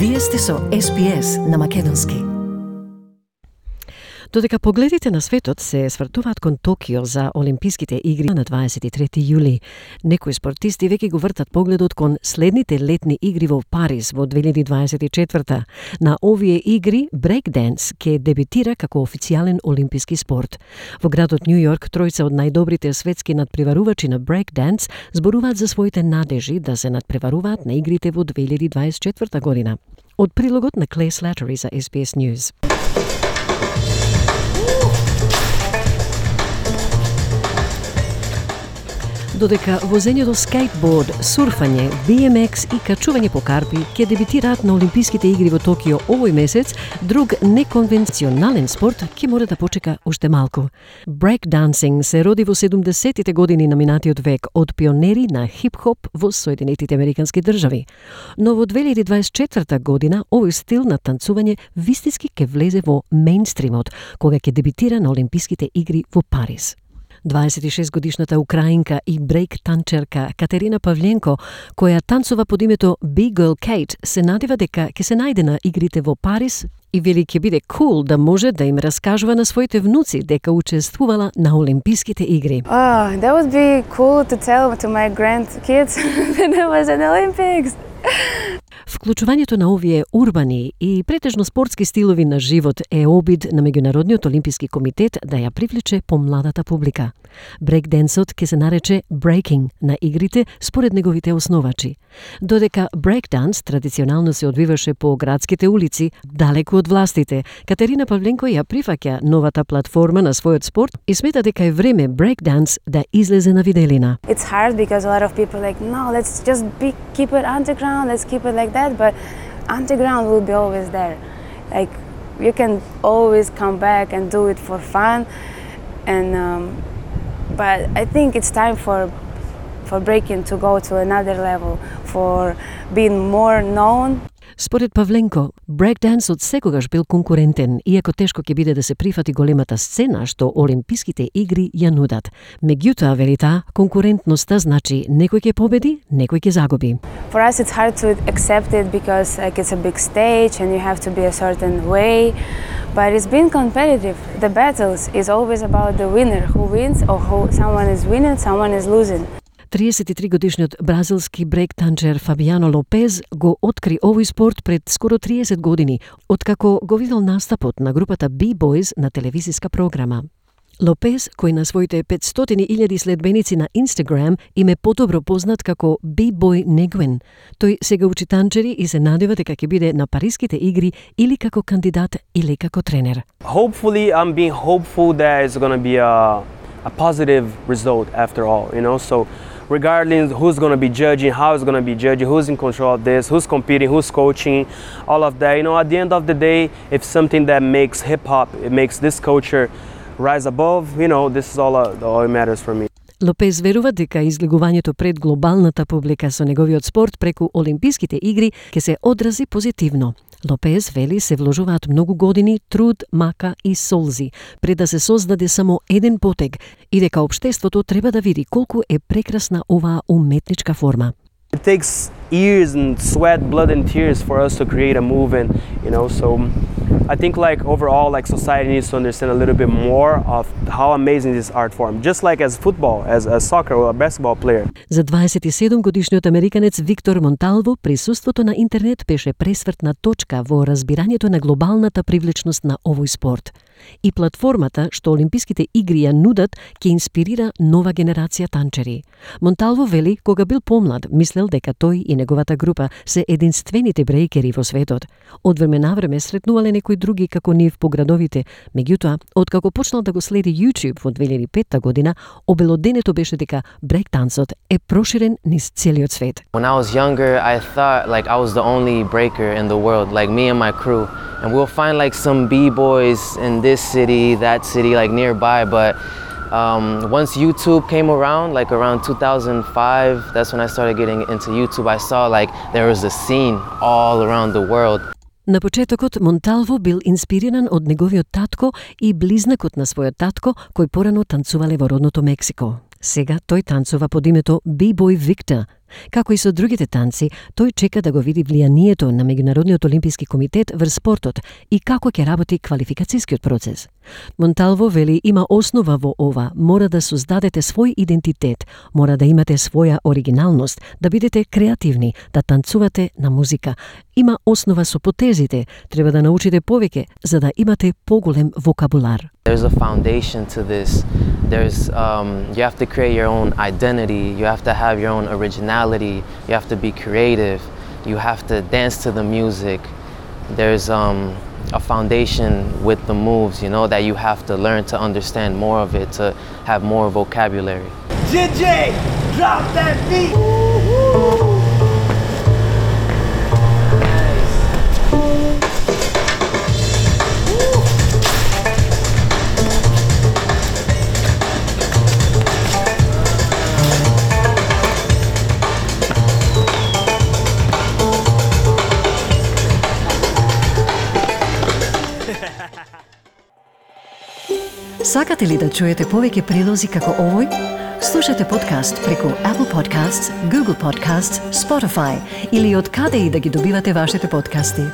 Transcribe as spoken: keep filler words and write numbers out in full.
Вие сте со Ес Би Ес на македонски. Додека погледите на светот се свртуваат кон Токио за Олимписките игри на дваесет и трети јули, некои спортисти веќе го вртат погледот кон следните летни игри во Париз во две илјади дваесет и четврта. На овие игри брейкденс ќе дебитира како официјален олимписки спорт. Во градот Њу Јорк тројца од најдобрите светски надпреварувачи на брейкденс зборуваат за своите надежи да се надпреваруваат на игрите во две илјади дваесет и четврта година. Од прилогот на Клеј Слатери за Ес Би Ес News. Додека возењето скейтборд, сурфање, Би Ем Екс и качување по карпи ќе дебитираат на Олимписките игри во Токио овој месец, друг неконвенционален спорт ќе мора да почека уште малку. Брейкдансинг се роди во седумдесеттите години на минатиот век од пионери на хип-хоп во Соединетите Американски држави. Но во две илјади дваесет и четврта година овој стил на танцување вистински ќе влезе во мејнстримот, кога ќе дебитира на Олимписките игри во Париз. дваесет и шест годишната украинка и брейк танчерка Катерина Павленко, која танцува под името Big Girl Kate, се надева дека ќе се најде на игрите во Париз и вели ќе биде кул да може да им раскажува на своите внуци дека учествувала на Олимписките игри. Oh, that would be cool to tell to my grandkids that I was in the Olympics. Вклучувањето на овие урбани и претежно спортски стилови на живот е обид на Меѓународниот олимписки комитет да ја привлече помладата публика. Брейкденсот ќе се нарече breaking на игрите според неговите основачи. Додека брейкданс традиционално се одвиваше по градските улици, далеку од властите, Катерина Павленко ја прифаќа новата платформа на својот спорт и смета дека е време брейкданс да излезе на виделина. It's hard because a lot of people like, no, let's just be, keep it underground, let's keep it like that, but underground will be always there. Like, you can always come back and do it for fun, and um, but I think it's time for for breaking to go to another level, for being more known. Според Павленко, брейкдансот секогаш бил конкурентен, иако тешко ќе биде да се прифати големата сцена што Олимписките игри ја нудат. Меѓутоа, вели таа, конкурентноста значи некој ќе победи, некој ќе загуби. For us it's hard to accept it because like it's a big stage and you have to be a certain way, but it's been competitive. The battles is always about the winner, who wins or who someone is winning, someone is losing. триесет и три годишниот бразилски брейк-танчер Фабиано Лопез го откри овој спорт пред скоро триесет години, откако го видел настапот на групата B-Boys на телевизиска програма. Лопез, кој на своите петстотини илјади следбеници на Инстаграм им е подобро познат како B-Boy Негуен. Тој сега учи танчери и се надева дека ќе биде на Париските игри или како кандидат или како тренер. Hopefully, I'm being hopeful that it's going to be a a positive result after all, you know, so regardless who's going to be judging, how it's going to be judging, who's in control of this, who's competing, who's coaching, all of that, you know, at the end of the day, if something that makes hip-hop, it makes this culture rise above, you know, this is all, uh, all it matters for me. Лопез верува дека излегувањето пред глобалната публика со неговиот спорт преку Олимписките игри ќе се одрази позитивно. Лопез вели се вложуваат многу години, труд, мака и солзи пред да се создаде само еден потег и дека општеството треба да види колку е прекрасна оваа уметничка форма. It takes years and sweat, blood and tears for us to create a movement, you know, so I think like overall like society needs to understand a little bit more of how amazing this art form, just like as football, as a soccer or a basketball player. За дваесет и седум годишниот американец Виктор Монталво, присуството на интернет беше пресвртна точка во разбирањето на глобалната привлечност на овој спорт. И платформата што Олимписките игри ја нудат ќе инспирира нова генерација танчери. Монталво вели кога бил помлад, мислел дека тој и неговата група се единствените брейкери во светот. Од време на време сретнувале некои други како нив по градовите, меѓутоа, откако почнал да го следи YouTube во две илјади и петта година, обелоденето беше дека брейк-тансот е проширен низ целиот свет. When I was younger, I thought like I was the only breaker in the world, like me and my crew. And we'll find like some B-boys in this city, that city, like nearby, but um, once YouTube came around, like around two thousand five, that's when I started getting into YouTube. I saw like there was a scene all around the world. На почетокот Монталво бил инспириран од неговиот татко и близнакот на својот татко, кој порано танцувале во родното Мексико. Сега тој танцува под името B-Boy Victor. Како и со другите танци, тој чека да го види влијанието на Меѓународниот олимписки комитет врз спортот и како ќе работи квалификацијскиот процес. Монталво вели има основа во ова, мора да создадете свој идентитет, мора да имате своја оригиналност, да бидете креативни, да танцувате на музика. Има основа со потезите, треба да научите повеќе за да имате поголем вокабулар. There's a foundation to this. There's um, you have to create your own identity. You have to have your own originality. You have to be creative. You have to dance to the music. There's um, a foundation with the moves, you know, that you have to learn to understand more of it, to have more vocabulary. J J, drop that beat! Сакате ли да чуете повеќе прилози како овој? Слушате подкаст преку Apple Podcasts, Google Podcasts, Spotify или од каде и да ги добивате вашите подкасти.